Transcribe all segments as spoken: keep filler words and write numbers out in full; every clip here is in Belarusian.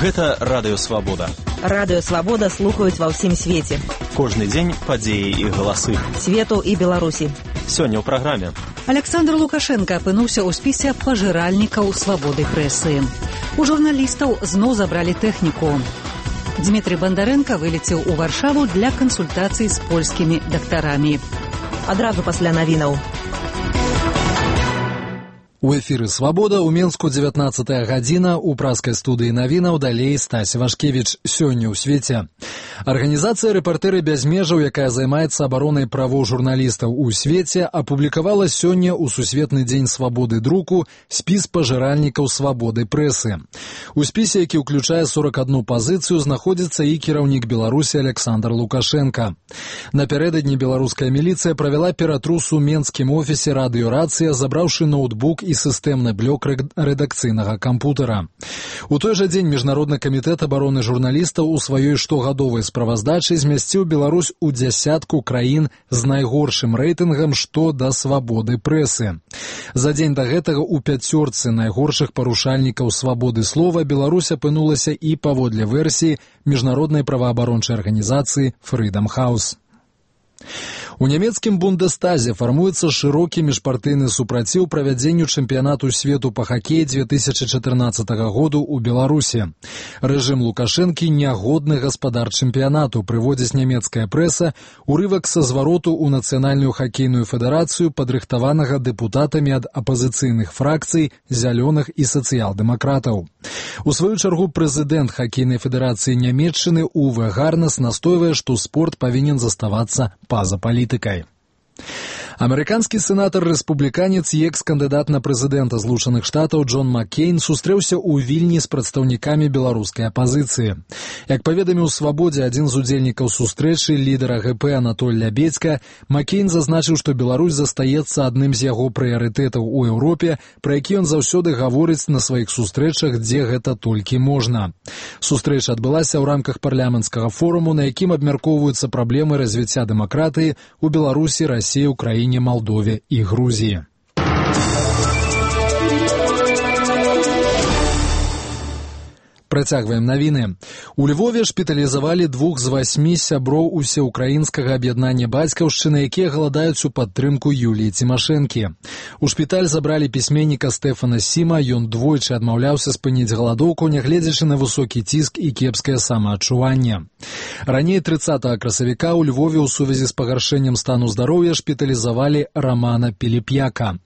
Гэта Радыё Свабода. Радыё Свабода слухаюць ва ўсім свеце. Кожны дзень падзеі і галасы. Свету і Беларусі. Сёння ў праграме. Александр Лукашенко апынуўся ў спісе пажыральнікаў свабоды прэсы. У журналістаў зноў забралі тэхніку. Дмітрий Бандарэнка вылецеў у Варшаву для кансультацый з польскімі дактарамі. Адразу пасля навінаў. У эфіры «Свабода» ў Менску дзевятнаццатая гадзіна, у праскай студыі навінаў далей Стась Вашкевіч. Сёння ў свеце. Арганізацыя «Рэпартэры без межаў», якая займаецца абаронай правоў журналістаў у свеце, апублікавала сёння ў Сусветны дзень свабоды друку спіс пажыральнікаў свабоды прэсы. У спісе, які ўключае сорок одну пазіцыю, знаходзіцца і кіраўнік Беларусі Александр Лукашенко. Напярэдадні беларуская міліцыя правяла ператрус у менскім офісе радыёрацыя, забраўшы ноутбук і сістэмны блок рэдакцыйнага кампутара. У той жа дзень Міжнародны камітэт абароны журналістаў у сваёй штогадовай справаздачы змясціў Беларусь у дзясятку краін з найгоршым рэйтынгам што да свабоды прэсы. За дзень да гэтага ў пяцёрцы найгоршых парушальнікаў свабоды слова Беларусь апынулася і паводле версіі міжнароднай праваабарончай арганізацыі Freedom House. У нямецкім Бундестазе фармуецца шырокі міжпартыйны супраціў правядзенню чэмпіянату свету па хакеі две тысячы чатырнаццатага году ў Беларусі. Рэжым Лукашэнкі нягодны гаспадар чэмпіянату, прыводзіць нямецкая прэса, урывак са звароту ў нацыянальную хакейную федэрацыю, падрыхтаванага дэпутатамі ад апазіцыйных фракцый, зялёных і сацыял-дэмакратаў. У сваю чаргу прэзідэнт хакейнай федэрацыі Нямецчыны Уве Гарнес настойвае, што спорт павінен заставацца па-за палітыкай. Амерыканскі сенатар-рэспубліканец і экс-кандыдат на прэзідэнта Злучаных Штатаў Джон Маккейн сустрэўся ў Вільні з прадстаўнікамі беларускай апазіцыі. Як паведаміў «Свабодзе» адзін з удзельнікаў сустрэчы, лідара гэ пэ Анатоль Лябедзька, Маккейн зазначыў, што Беларусь застаецца адным з яго прыярытэтаў у Еўропе, пра які ён заўсёды гаворыць на сваіх сустрэчах, дзе гэта толькі можна. Сустрэча адбылася ў рамках парламенцкага форуму, на якім абмяркоўваюцца праблемы развіцця дэмакратыі ў Беларусі, Расіі, Украіне, Молдове і Грузіі. Працягваем навіны. У Львове шпіталізавалі двух з васьмі сяброў усеукраінскага аб'яднання бацькаўшчыны, якія галадаюць у падтрымку Юліі Цімашэнкі. У шпіталь забралі пісьменніка Стэфана Сіма, ён двойчы адмаўляўся спыніць галадоўку, нягледзячы на высокі ціск і кепскае самаадчуванне. Раней трыццатага красавіка ў Львове ў сувязі з пагаршэннем стану здароўя шпіталізавалі Рамана Піліп'яка.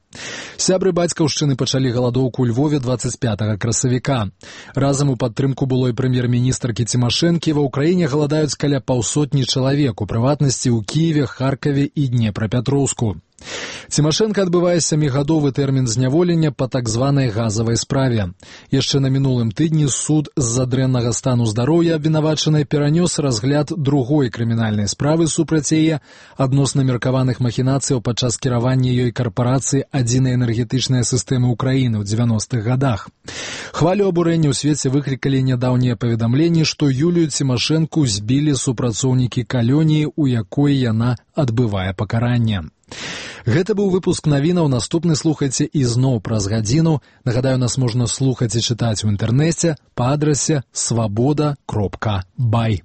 Сябры бацькаўшчыны пачалі галадоўку ў Львове дваццаць пятага красавіка. Разам у падтрымку былой прэм'ер-міністркі Цімашэнкі ва ўкраіне галадаюць каля паўсотні чалавек, у прыватнасці ў Кіеве, Харкаве і Днепрапятроўску. Цімашэнка адбывае сямігадовы тэрмін зняволення па так званай газавай справе. Яшчэ на мінулым тыдні суд з-за дрэннага стану здароўя абвінавачанай перанёс разгляд другой крымінальнай справы супраць яе адносна меркаваных махінацыяў падчас кіравання ёй карпорацыі адзінай энергетычнай сістэмы ўкраіны ў дзевяностых гадах. Хвалю абурэння ў свеце выклікалі нядаўнія паведамленні, што Юлію Цімашэнку збілі супрацоўнікі калоніі, у якой яна адбывае пакаранне. Гэта быў выпуск навінаў, наступны слухайце ізноў праз гадзіну. Нагадаю, нас можна слухаць і чытаць у інтэрнэце па адрасе свабода кропка бай.